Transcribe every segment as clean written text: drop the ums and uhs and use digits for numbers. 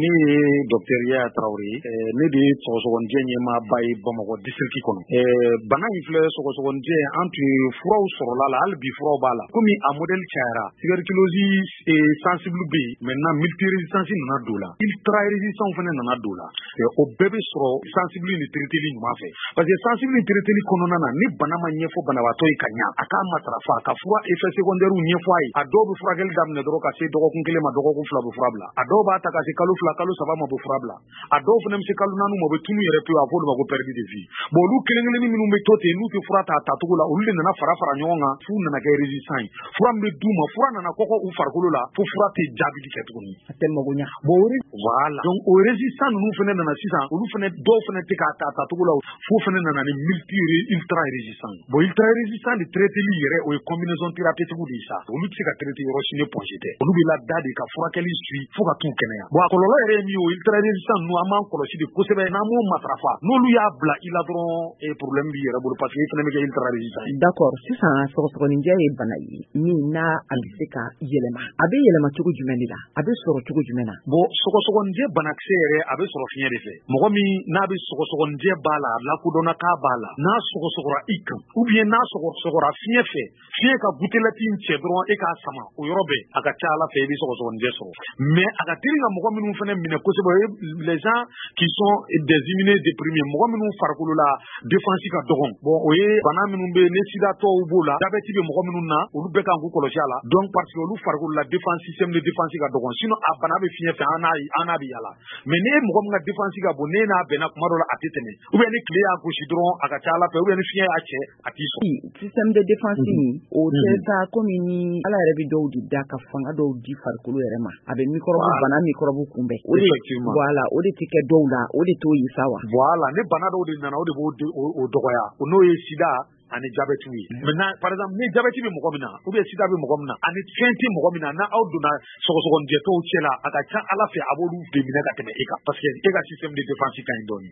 Ne ye docteur Yaya Traoré ye. Ne de ye sɔgɔsɔgɔnijɛ ɲɛmaaba ye Bamakɔ district kɔnɔ. Bana in filɛ, sɔgɔsɔgɔnijɛ, an tun ye furaw sɔrɔla la, hali bi furaw b'a la. Komi a modèle cayara, tuberculose sensible bɛ yen, maintenant multirésistance nana don la, ultra résistant fana nana don la. O bɛɛ bɛ sɔrɔ sensible ni traiteli ɲuman fɛ, parce que sensible ni traiteli kɔnɔna na, ni bana ma ɲɛfɔ banabaatɔ ye ka ɲa, a k'a matarafa, ka fura effet secondaire ɲɛfɔ a ye. A dɔw bɛ furakɛli daminɛ dɔrɔn, ka se dɔgɔkun 1 ma, dɔgɔkun 2, bɛ fura bila. A dɔw b'a ta ka se kalo 2, kalo 3 ma, bɛ fura bila. A dɔw fana bɛ se kalo 4 ma, u bɛ tunu yɛrɛ pewu, a fɔ olu ma ko perte de vue. Bon, olu kelen kelenni minnu bɛ to ten, n'u tɛ fura ta a tacogo la, olu de nana fara fara ɲɔgɔn kan f'u nana kɛ résistant ye. Fura min bɛ d'u ma, fura nana kɔgɔ u farikolo la fo fura tɛ jaabili kɛ tuguni. A tɛ mago ɲa. Bon, voilà, donc o résistant ninnu fana nana sisan, olu fana dɔw fana tɛ k'a ta a tacogo la, f'o fana nana ni multi ultra résistant. Bon, ultra résistant de traiteli yɛrɛ, o ye combinaison thérapeutique de ye sa. Olu tɛ se ka traiter yɔrɔ si ni pɔnsi tɛ. Olu bɛ lada de ka furakɛli suit fo ka t'u kɛnɛya. Bon, a kɔlɔlɔ yɛrɛ ye min ye, o ultra résistant ninnu, an b'an kɔlɔsi de kosɛbɛ. N'an m'o matarafa, n'olu y'a bila i la dɔrɔn, problème b'i yɛrɛ bolo, parce que e fana bɛ kɛ ultra résistant ye. D'accord. Sisan, sɔgɔsɔgɔninjɛ ye bana ye min n'a a bɛ se ka yɛlɛma. A bɛ yɛlɛma cogo jumɛn de la? A bɛ sɔrɔ cogo jumɛn na? Bon, sɔgɔsɔgɔninjɛ banakisɛ yɛrɛ, a bɛ sɔrɔ fiɲɛ de fɛ. Mɔgɔ min n'a bɛ sɔgɔsɔgɔninjɛ b'a la, a lakodɔnna k'a b'a la, n'a sɔgɔsɔgɔra i kan, ou bien n'a sɔgɔsɔgɔra fiɲɛ fɛ, fiɲɛ ka gouttelette in cɛ dɔrɔn, e k'a sama, o yɔrɔ bɛɛ, a ka ca Ala fɛ, i bɛ sɔgɔsɔgɔninjɛ sɔrɔ. Mais a ka teli ka mɔgɔ minnu fana minɛ kosɛbɛ, o ye les gens qui sont des immunodéprimés, mɔgɔ minnu farikolo la défense ka dɔgɔn. Bon, o ye bana minnu bɛ yen, ni sidatɔw b'o la, diabète bɛ mɔgɔ minnu na, olu bɛɛ kan k'u kɔlɔsi a la. Donc parce que olu farikolo la défense, système de défense ka dɔgɔn. Sinon a bana bɛ fiɲɛ fɛ, an n'a an n'a bɛ yala. Mais ne ye mɔgɔ min ka défense ka bon, ne n'a bɛnna kuma dɔ la, a tɛ tɛmɛ, ou bien ni tile y'a gosi dɔrɔn, a ka ca Ala fɛ, ou bien ni fiɲɛ y'a cɛ, a t'i sɔrɔ. Système de défense nin, o tɛ sa komi ni Ala yɛrɛ bɛ dɔw de da ka fanga dɔw di farikolo yɛrɛ ma, a bɛ microbe, bana microbe kunbɛn. O de, voilà, o de tɛ kɛ dɔw la, o de t'o ye sa wa? Voilà, ni bana dɔw de nana, o de b'o o dɔgɔya, n'o ye sida ani diabète ye. Maintenant, par exemple, ni diabète bɛ mɔgɔ min na, ou bien sida bɛ mɔgɔ min na, ani fɛn tɛ mɔgɔ min na, n'a aw donna sɔgɔsɔgɔnijɛtɔw cɛ la, a ka ca Ala fɛ, a b'olu de minɛ ka tɛmɛ e kan, parce que e ka système de défense ka ɲi dɔɔni.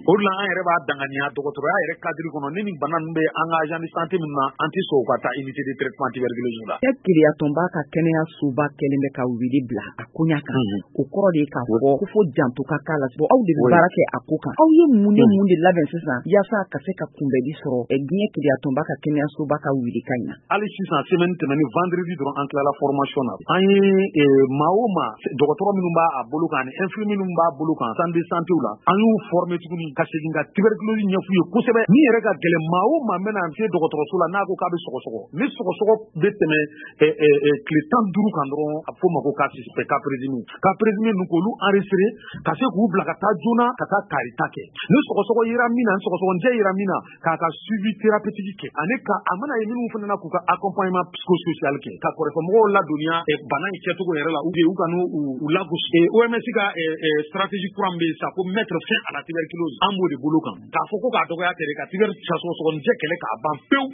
O de la, an yɛrɛ b'a danganiya dɔgɔtɔrɔya yɛrɛ cadre kɔnɔ, ni nin bana ninnu bɛ an ka agent de santé min na, an tɛ sɔn u ka taa unité de traitement tuberculose la. E Keleya-tɔnba ka kɛnɛyasoba kɛlen bɛ ka wele bila a koɲa kan. O kɔrɔ de ye k'a fɔ ko fo janto ka k'a la. Bon, aw de bɛ baara kɛ a ko kan. Aw ye mun ni mun de labɛn sisan yaasa ka se ka kunbɛli sɔrɔ diɲɛ Keleya-tɔnba ka kɛnɛyasoba ka wele kan in na? Hali sisan, semaine tɛmɛnen, vendredi dɔrɔn, an tilala formation na. An ye maa o maa, dɔgɔtɔrɔ minnu b'a bolo kan ani infirmier minnu b'a bolo kan centre de santé la, an y'u former tuguni ka segin ka tuberculose ɲɛf'u ye kosɛbɛ. Min yɛrɛ ka gɛlɛn, maa o maa bɛna se dɔgɔtɔrɔso la, n'a ko k'a bɛ sɔgɔsɔgɔ, ni sɔgɔsɔgɔ bɛ tɛmɛ tile 15 kan dɔrɔn, a bɛ f'o ma ko cas suspect, cas présumé. Cas présumé ninnu, k'olu enregistrer ka se k'u bila ka taa joona ka taa karita kɛ. Ni sɔgɔsɔgɔ yera min na, ni sɔgɔsɔgɔnijɛ yera min na, k'a ka suivi thérapeutique kɛ, ani ka a mana ye minnu fana na, k'u ka accompagnement psychosocial kɛ, ka kɔrɔfɔmɔgɔw ladɔnniya bana in kɛcogo yɛrɛ la, ou bien u ka n'u u lagosi. OMS ka stratégie kura min bɛ yen sisan ko mettre fin à la tuberculose, an b'o de bolo kan. K'a fɔ ko k'a dɔgɔya tɛ dɛ, ka tuber sɔgɔsɔgɔnijɛ kɛlɛ k'a ban pewu.